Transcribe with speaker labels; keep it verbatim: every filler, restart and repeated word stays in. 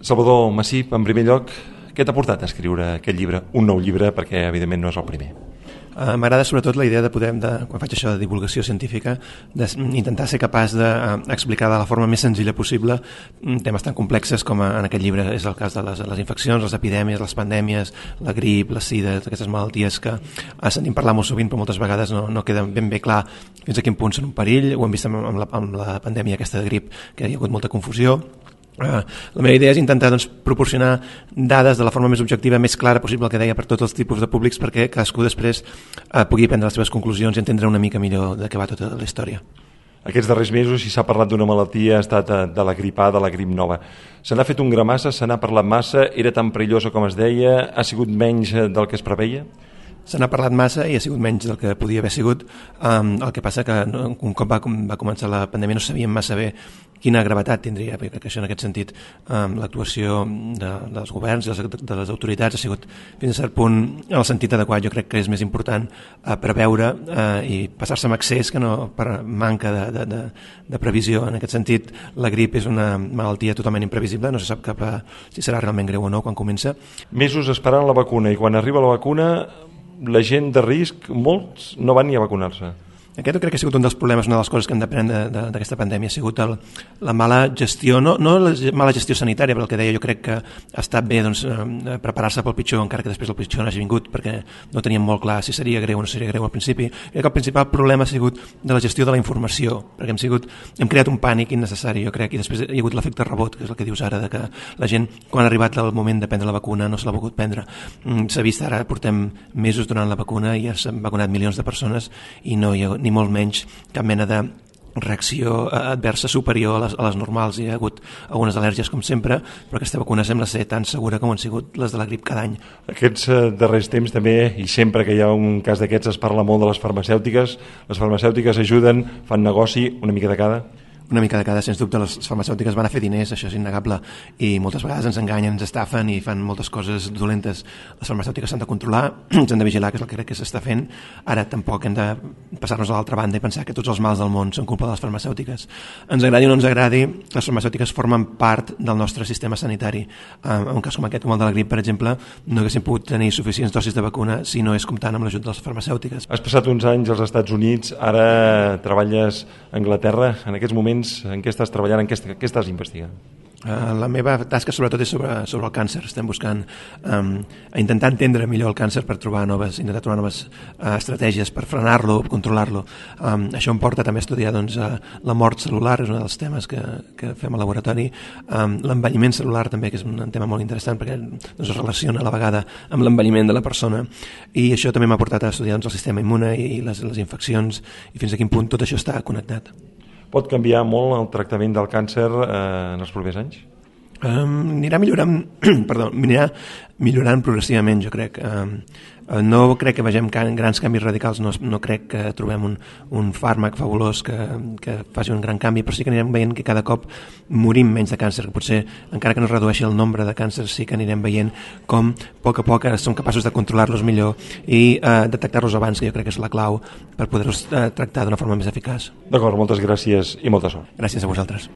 Speaker 1: Salvador Massip, en primer lloc, què t'ha portat a escriure aquest llibre? Un nou llibre, perquè evidentment no és el primer.
Speaker 2: Uh, M'agrada sobretot la idea de poder, de, quan faig això de divulgació científica, d'intentar ser capaç d'explicar de la forma més senzilla possible temes tan complexes com en aquest llibre és el cas de les, les infeccions, les epidèmies, les pandèmies, la grip, la sida, aquestes malalties que uh, sentim parlar molt sovint però moltes vegades no, no queda ben bé clar fins a quin punt són un perill. Ho hem vist amb, amb, la, amb la pandèmia aquesta de grip, que hi ha hagut molta confusió. Uh, la meva idea és intentar doncs, proporcionar dades de la forma més objectiva, més clara possible, el que deia, per tots els tipus de públics, perquè cadascú després uh, pugui prendre les seves conclusions i entendre una mica millor de què va tota la història.
Speaker 1: Aquests darrers mesos, si s'ha parlat d'una malaltia, ha estat de la grip A, de la grip nova. Se n'ha fet un gra massa, se n'ha parlat massa, era tan perillosa com es deia, ha sigut menys del que es preveia?
Speaker 2: Se n'ha parlat massa i ha sigut menys del que podia haver sigut. Um, el que passa que no, un cop va, va començar la pandèmia no sabíem massa bé quina gravetat tindria, perquè això en aquest sentit um, l'actuació de, dels governs i de, de les autoritats ha sigut fins a cert punt en el sentit adequat. Jo crec que és més important uh, preveure uh, i passar-se amb accés que no per manca de, de, de, de previsió. En aquest sentit, la grip és una malaltia totalment imprevisible, no se sap cap a, si serà realment greu o no quan comença.
Speaker 1: Mesos esperant la vacuna i quan arriba la vacuna la gent de risc, molts no van ni a vacunar-se.
Speaker 2: Aquest crec que ha sigut un dels problemes, una de les coses que hem d'aprendre d'aquesta pandèmia ha sigut el, la mala gestió, no, no la mala gestió sanitària, però el que deia jo crec que ha estat bé doncs, eh, preparar-se pel pitjor, encara que després el pitjor no hagi vingut, perquè no teníem molt clar si seria greu o no seria greu al principi. Crec que el principal problema ha sigut de la gestió de la informació, perquè hem, sigut, hem creat un pànic innecessari, jo crec, i després hi ha hagut l'efecte rebot, que és el que dius ara, de que la gent, quan ha arribat el moment de prendre la vacuna, no se l'ha volgut prendre. S'ha vist ara, portem mesos donant la vacuna i ja s'han vacunat milions de persones i no hi ha ni molt menys cap mena de reacció adversa superior a les, a les normals. Hi ha hagut algunes al·lèrgies com sempre, però aquesta vacuna sembla ser tan segura com han sigut les de la grip cada any.
Speaker 1: Aquests eh, darrers temps també, i sempre que hi ha un cas d'aquests es parla molt de les farmacèutiques. Les farmacèutiques ajuden, fan negoci, una mica de cada.
Speaker 2: Una mica de cada, sens dubte, les farmacèutiques van a fer diners, això és innegable, i moltes vegades ens enganyen, ens estafen i fan moltes coses dolentes. Les farmacèutiques s'han de controlar, s'han de vigilar, que és el que crec que s'està fent. Ara tampoc hem de passar-nos a l'altra banda i pensar que tots els mals del món són culpa de les farmacèutiques. Ens agradi o no ens agradi, les farmacèutiques formen part del nostre sistema sanitari. En un cas com aquest, com el de la grip, per exemple, no haguéssim pogut tenir suficients dosis de vacuna si no és comptant amb l'ajut de les farmacèutiques.
Speaker 1: Has passat uns anys als Estats Units, ara treballes a Anglaterra. En aquests moments, en què estàs treballant, en què, què estàs investigant?
Speaker 2: Uh, la meva tasca sobretot és sobre, sobre el càncer. Estem buscant um, a intentar entendre millor el càncer per trobar noves, intentar trobar noves uh, estratègies per frenar-lo, controlar-lo. Um, això em porta també a estudiar doncs, uh, la mort celular, és un dels temes que, que fem al laboratori. Um, l'envelliment celular també, que és un tema molt interessant perquè doncs, es relaciona a la vegada amb l'envelliment de la persona, i això també m'ha portat a estudiar doncs, el sistema immune i les, les infeccions i fins a quin punt tot això està connectat.
Speaker 1: Pot canviar molt el tractament del càncer eh, en els propers anys?
Speaker 2: Um, anirà millorant, perdó, anirà millorant progressivament, jo crec. Um, no crec que vegem can, grans canvis radicals, no, no crec que trobem un, un fàrmac fabulós que, que faci un gran canvi, però sí que anirem veient que cada cop morim menys de càncer, que potser, encara que no es redueixi el nombre de càncers, sí que anirem veient com a poc a poc som capaços de controlar-los millor i eh, detectar-los abans, que jo crec que és la clau per poder-los eh, tractar d'una forma més eficaç.
Speaker 1: D'acord, moltes gràcies i molta sort.
Speaker 2: Gràcies a vosaltres.